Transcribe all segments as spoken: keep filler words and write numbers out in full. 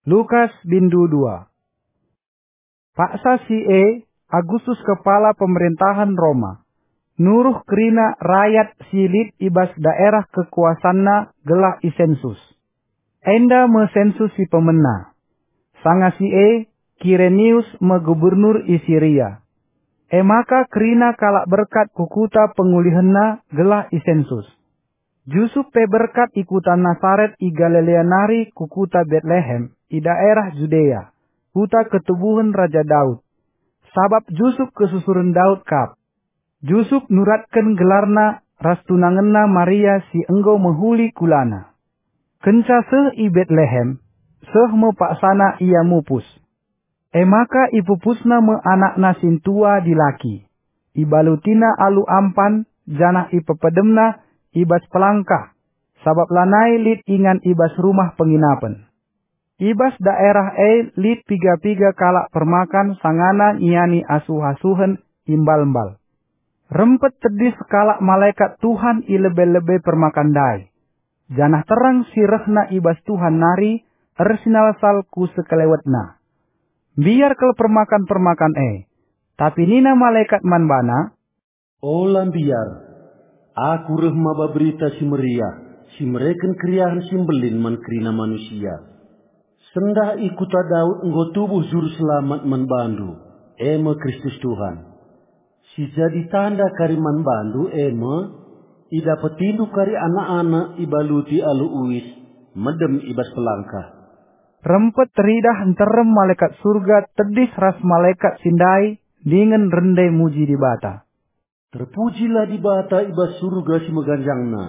Lukas bindu dua. Paksa si e, Agustus kepala pemerintahen Roma, nuruh kerina rayat si lit i bas daerah kekuasanna gelah isensus. Enda me sensus si pemena. Sanga si e, Kirenius me gubernur i Siria. E maka kerina kalak berkat ku kuta pengulihenna gelah isensus. Jusup pe berkat i kuta Nasaret i Galilea nari ku kuta Betlehem i daerah Judea, kuta ketubuhen Raja Daud. Sabap Jusup kesusuren Daud kap. Jusup nuratken gelarna ras tunangenna Maria si enggo mehuli kulana. Kenca seh i Betlehem, seh me paksana ia mupus. E maka ipupusna me anakna sintua dilaki. Ibalutina alu ampan, janah ipepedemna i bas pelangkah, sabap lanai lit ingan i bas rumah penginapen. I bas daerah e lit piga-piga kalak permakan sangana ngiani asuh-asuhen imbal-mbal. Rempet tedis kalak malekat Tuhan i lebe-lebe permakan ndai, janah terang si rehna i bas Tuhan nari ersinalsal ku sekelewetna. Mbiar kal permakan-permakan e, tapi nina malekat man bana, "Ola mbiar. Aku reh maba berita si meriah, si mereken keriahen si mbelin man kerina manusia. Sendah i kuta Daud enggo tubuh Juru Selamat man bandu, e me Kristus Tuhan. Si jadi tanda kari man bandu e me, idapetindu kari anak-anak ibaluti alu uis, medem i bas pelangkah." Rempet teridah nterem malekat Surga tedis ras malekat si ndai dingen rende muji Dibata. "Terpujilah Dibata i bas Surga si meganjangna,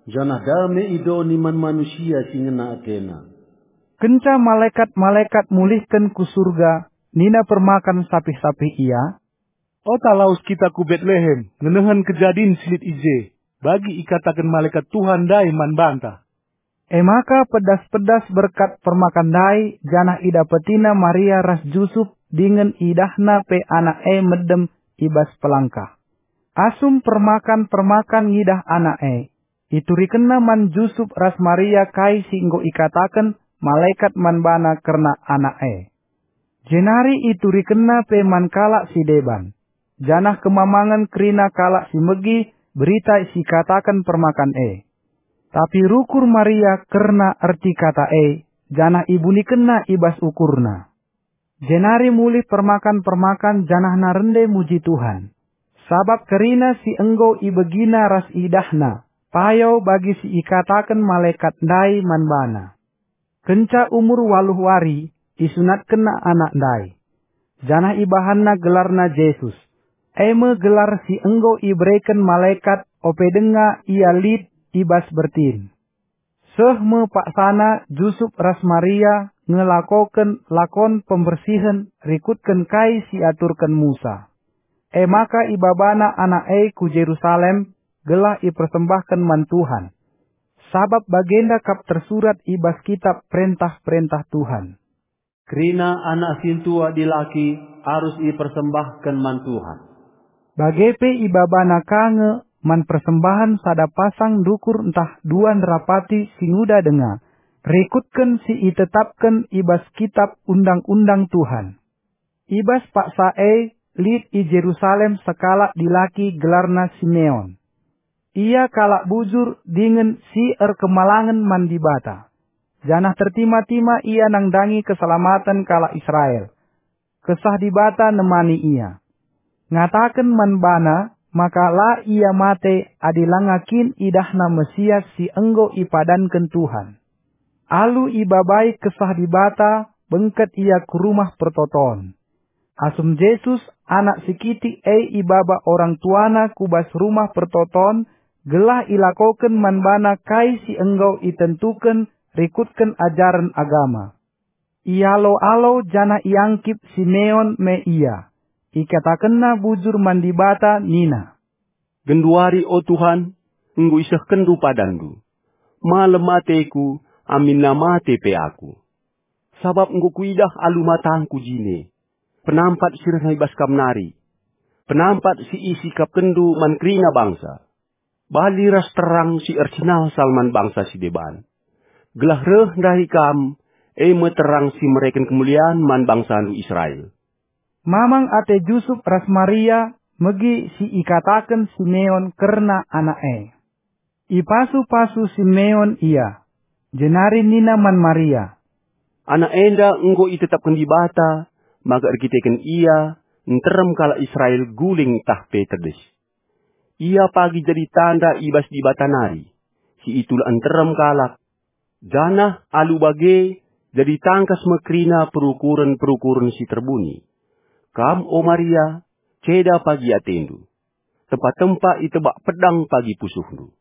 janah dame i doni man manusia si ngena atena." Kenca malekat-malekat mulihken ku Surga, nina permakan sapih-sapih ia, "Ota lawes kita ku Betlehem ngenehen kejadin si lit i je, bagi ikataken malekat Tuhan ndai man banta." E maka pedas-pedas berkat permakan ndai, janah idapetina Maria ras Jusup dingen idahna pe anak e medem i bas pelangkah. Asum permakan-permakan ngidah anak e, iturikenna man Jusup ras Maria kai si enggo ikataken malekat man bana kerna anak e. Jenari iturikenna pe man kalak si deban, janah kemamangen kerina kalak si megi berita si ikataken permakan e. Tapi rukur Maria kerna erti kata e, janah ibunikenna i bas ukurna. Jenari mulih permakan-permakan janahna rende muji Tuhan, sabap kerina si enggo ibegina ras idahna payo bagi si ikataken malekat ndai man bana. Kenca umur waluh wari, isunatkenna anak ndai, janah ibahanna gelarna Jesus, e me gelar si enggo ibereken malekat ope denga ia lit i bas bertin. Seh me paksana Jusup ras Maria ngelakoken lakon pembersihen rikutken kai si aturken Musa. E maka ibabana anak e ku Jerusalem gelah ipersembahken man Tuhan, sabap bagenda kap tersurat i bas kitap perentah-perentah Tuhan, "Kerina anak sintua dilaki arus ipersembahken man Tuhan." Bage pe ibabana ka nge man persembahen sada pasang ndukur ntah dua nderapati si nguda denga, rikutken si itetapken i bas kitap undang-undang Tuhan. I bas paksa e lit i Jerusalem sekalak dilaki gelarna Simeon. Ia kalak bujur dingen si erkemalangen man Dibata, janah tertima-tima ia nandangi keselamaten kalak Israel. Kesah Dibata nemani ia. Ngataken man bana maka la ia mate adi langa kin idahna Mesias si enggo ipadanken Tuhan. Alu ibabai Kesah Dibata, bengket ia ku Rumah Pertoton. Asum Jesus, anak si kitik e, ibaba orang tuana ku bas Rumah Pertoton, gelah ilakoken man bana kai si enggo itentuken rikutken ajaren agama. Ialo-alo janah iangkip Simeon me ia. Ikatakenna bujur man Dibata nina, "Genduari, o Tuhan, enggo isehkenNdu padanNdu. Malem ateku, aminna mate pe aku. Sabap enggo kuidah alu matangku jine penampat si rehna i bas Kam nari, penampat si isikapkenNdu man kerina bangsa, bali ras terang si ersinalsal man bangsa si deban, gelah reh ndahi Kam, e me terang si mereken kemulian man bangsandu Israel." Mamang ate Jusup ras Maria megi si ikataken Simeon kerna anak e. Ipasu-pasu Simeon ia, jenari nina man Maria, "Anak enda enggo itetapken Dibata maka erkiteken ia nterem kalak Israel guling tah pe tedis. Ia pagi jadi tanda i bas Dibata nari, si itulak nterem kalak, janah alu bage jadi tangkas me kerina perukuren-perukuren si terbuni. Kam, o Maria, ceda pagi atendu. Tempa-tempa itebak pedang pagi pusuhndu."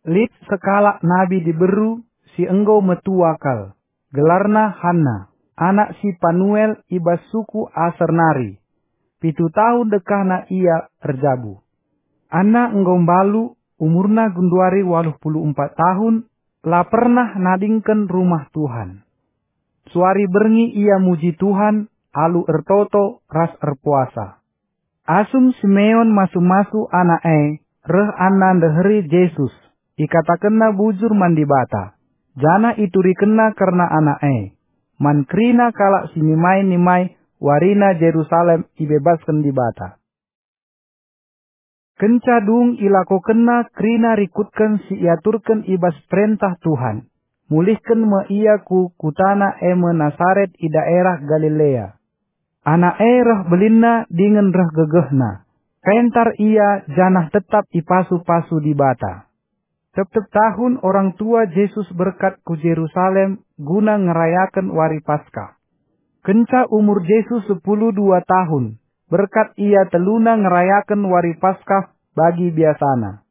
Lit sekalak nabi diberu si enggo metua kal, gelarna Hanna, anak si Panuel i bas suku Aser nari. Pitu tahun dekahna ia erjabu. Anna enggo mbalu, umurna genduari waluh puluh empat tahun, la pernah nadingken Rumah Tuhan. Suari berngi ia muji Tuhan alu ertoto ras erpuasa. Asum Simeon masu-masu anak e, reh Anna ndeheri Jesus, ikatakenna bujur man Dibata, janah iturikenna kerna anak e. Man kerina kalak si nimai-nimai warina Jerusalem ibebasken Dibata. Kenca dung ilakokenna kerina rikutken si iaturken i bas perentah Tuhan, mulihken me ia ku kutana e me Nasaret i daerah Galilea. Anak e reh belinna dingen reh gegehna. Pentar ia janah tetap ipasu-pasu Dibata. Tep-tep tahun orang tua Jesus berkat ku Jerusalem guna ngerayaken wari Paskah. Kenca umur Jesus sepuluh dua tahun, berkat ia teluna ngerayaken wari Paskah bagi biasana.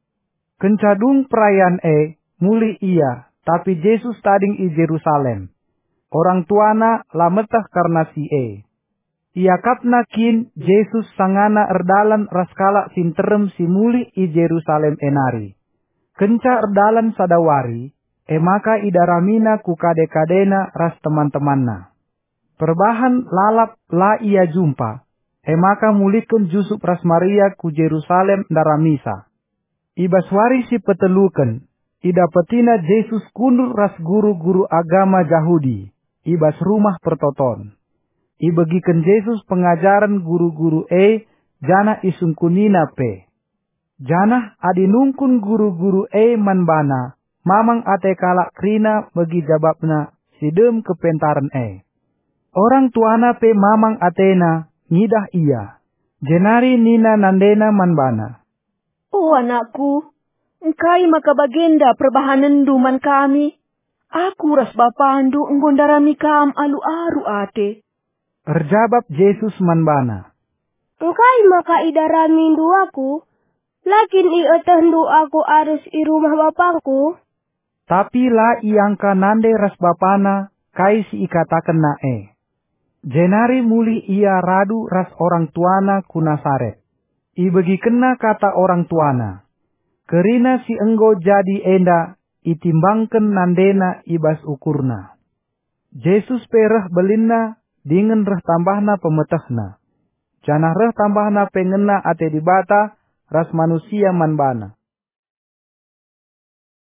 Kenca dung perayan e, mulih ia, tapi Jesus tading i Jerusalem. Orang tuana la meteh kerna si e. Iakapna kin Jesus sangana erdalan ras kalak si nterem si mulih i Jerusalem e nari. Kenca erdalan sada wari, e maka idaramina ku kade-kadena ras teman-temanna. Perbahan lalap la ia jumpa, e maka mulihken Jusup ras Maria ku Jerusalem ndaramisa. I bas wari si peteluken, idapetina Jesus kundul ras guru-guru agama Jahudi i bas Rumah Pertoton. Ibegiken Jesus pengajaren guru-guru e janah isungkunina pe. Janah adi nungkun guru-guru e man bana, mamang ate kalak kerina megi jabapna si dem kepentaren e. Orang tuana pe mamang atena ngidah ia, jenari nina nandena man bana, "O anakku, engkai maka bagenda perbahanenndu man kami? Aku ras bapandu enggo ndarami kam alu aru ate." Erjabap Jesus man bana, "Engkai maka idaramindu aku? La kin ietehndu aku arus i rumah bapangku?" Tapi la iangka nande ras bapana kai si ikatakenna e. Jenari mulih ia radu ras orang tuana ku Nasaret. Ibegikenna kata orang tuana. Kerina si enggo jadi enda itimbangken nandena i bas ukurna. Jesus pe reh belinna dingen reh tambahna pemetehna, janah reh tambahna pe ngena ate Dibata ras manusia man bana.